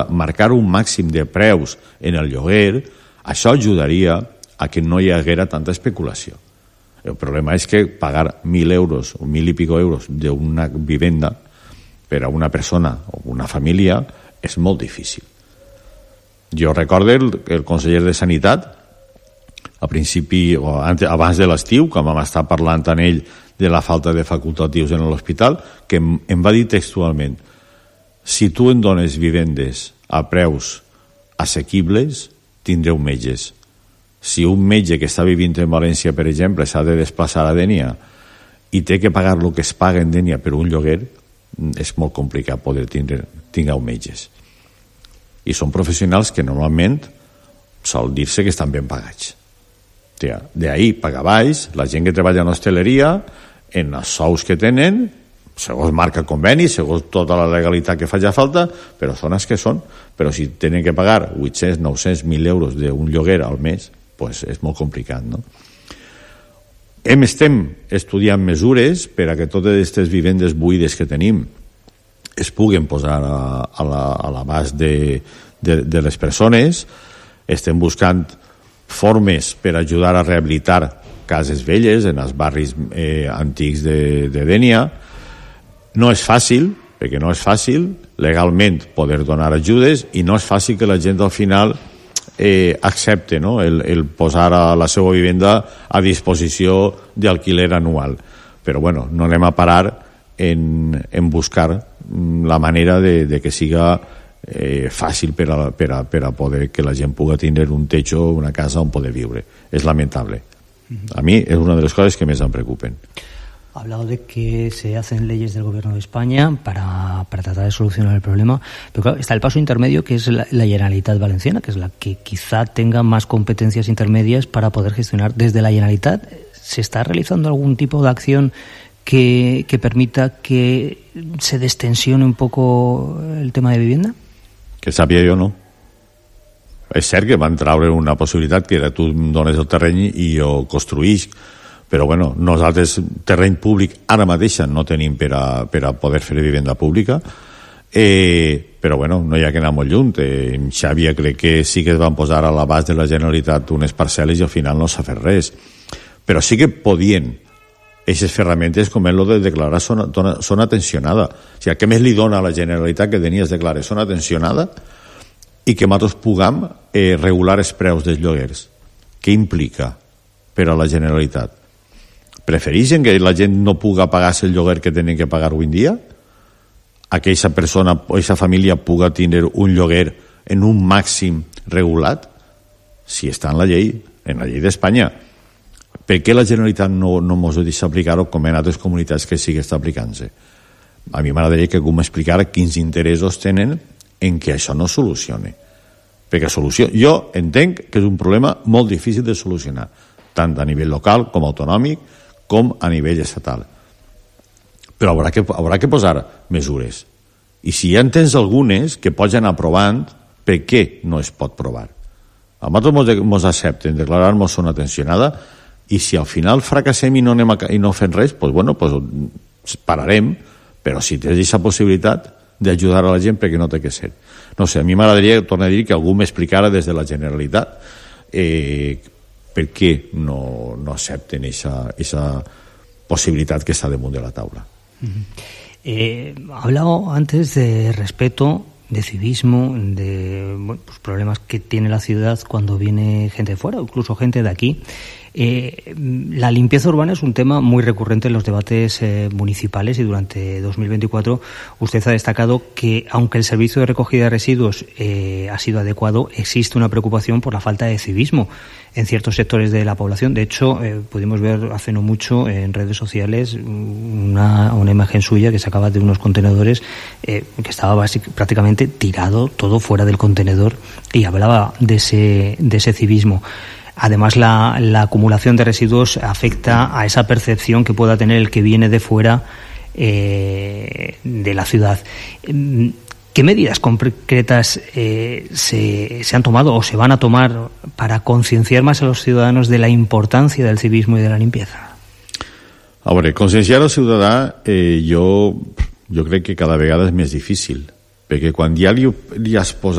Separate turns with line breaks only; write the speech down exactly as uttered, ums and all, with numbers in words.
marcar un màxim de preus en el lloguer, això ajudaria a que no hi haguera tanta especulació. El problema és que pagar mil euros o mil i pico euros d'una vivenda per a una persona o una família és molt difícil. Jo recordo el, el conseller de Sanitat, a principi, o abans de l'estiu, quan vam estar parlant amb ell de la falta de facultatius en l'hospital, que em, em va dir textualment: si tu em dones vivendes a preus assequibles, tindreu metges. Si un metge que està vivint en València, per exemple, s'ha de desplaçar a Dénia i té que pagar el que es paga en Dénia per un lloguer, és molt complicat poder tindre, tingueu metges. I són professionals que normalment sol dir-se que estan ben pagats. D'ahí pagar baix, la gent que treballa en hostaleria, en els sous que tenen, segons marca conveni, segons tota la legalitat que faci falta, però són els que són. Però si tenen que pagar vuit-cents, nou-cents, mil euros d'un lloguer al mes, pues és molt complicat, no? Hem estem estudiant mesures per a que totes aquestes vivendes buides que tenim es puguen posar a, a, la, a l'abast de, de, de les persones. Estem buscant formes per ajudar a rehabilitar cases velles en els barris eh, antics de, de Dénia. No és fàcil, perquè no és fàcil legalment poder donar ajudes, i no és fàcil que la gent al final eh, accepte, no?, el, el posar a la seva vivenda a disposició d'alquiler anual. Però bueno, no anem a parar en, en buscar la manera de, de que siga eh, fàcil per a, per, a, per a poder que la gent pugui tindre un techo, una casa on poder viure. És lamentable. A mi és una de les coses que més em preocupen.
Ha hablado de que se hacen leyes del Gobierno de España para, para tratar de solucionar el problema, pero claro, está el paso intermedio, que es la, la Generalitat Valenciana, que es la que quizá tenga más competencias intermedias para poder gestionar. Desde la Generalitat, ¿se está realizando algún tipo de acción que, que permita que se destensione un poco el tema de vivienda?
Que sàpiga jo, no. És cert que van traure una possibilitat que era tu em dones el terreny i jo construïsc, però bueno, nosaltres terreny públic ara mateixa no tenim per a, per a poder fer vivenda pública, eh, però bueno, no hi ha que anar molt lluny. Eh, en Xàbia crec que sí que es van posar a l'abast de la Generalitat unes parcel·les i al final no s'ha fet res, però sí que podien aquestes ferramentes com és el de declarar zona, zona tensionada. O sigui, què més li dona a la Generalitat que tenies declarar zona tensionada i que nosaltres puguem eh, regular els preus dels lloguers? Què implica per a la Generalitat? Prefereixen que la gent no puga pagar-se el lloguer que tenen que pagar avui en dia? A que aquesta persona o aquesta família puga tindre un lloguer en un màxim regulat? Si està en la llei, en la llei d'Espanya. Per què la Generalitat no, no mos deixa aplicar-ho com en altres comunitats que sí que està aplicant-se? A mi m'agradaria que algú m'explicara quins interessos tenen en que això no solucione. Perquè solució... Jo entenc que és un problema molt difícil de solucionar, tant a nivell local com autonòmic, com a nivell estatal. Però haurà que, haurà que posar mesures. I si ja en tens algunes que pots anar provant, per què no es pot provar? A nosaltres ens accepten declarar-nos zona tensionada, i si al final fracassem i no, anem a, i no fem res, doncs bueno, doncs pararem, però si tens aquesta possibilitat d'ajudar a la gent, perquè no té que ser. No sé, a mi m'agradaria, tornar a dir, que algú m'explicara des de la Generalitat eh, per què no, no accepten aquesta possibilitat que està damunt de la taula.
Eh, ha hablado antes de respeto, de civismo, de bueno, pues problemas que tiene la ciudad cuando viene gente de fuera, incluso gente de aquí. Eh, la limpieza urbana es un tema muy recurrente en los debates eh, municipales, y durante dos mil veinticuatro usted ha destacado que, aunque el servicio de recogida de residuos eh, ha sido adecuado, existe una preocupación por la falta de civismo en ciertos sectores de la población. De hecho, eh, pudimos ver hace no mucho en redes sociales una, una imagen suya que sacaba de unos contenedores eh, que estaba basic, prácticamente tirado todo fuera del contenedor, y hablaba de ese, de ese civismo. Además, la, la acumulación de residuos afecta a esa percepción que pueda tener el que viene de fuera eh, de la ciudad. ¿Qué medidas concretas eh, se, se han tomado o se van a tomar para concienciar más a los ciudadanos de la importancia del civismo y de la limpieza?
A veure, concienciar al ciutadà eh, jo, jo crec que cada vegada és més difícil. perquè quan ja li, li has posat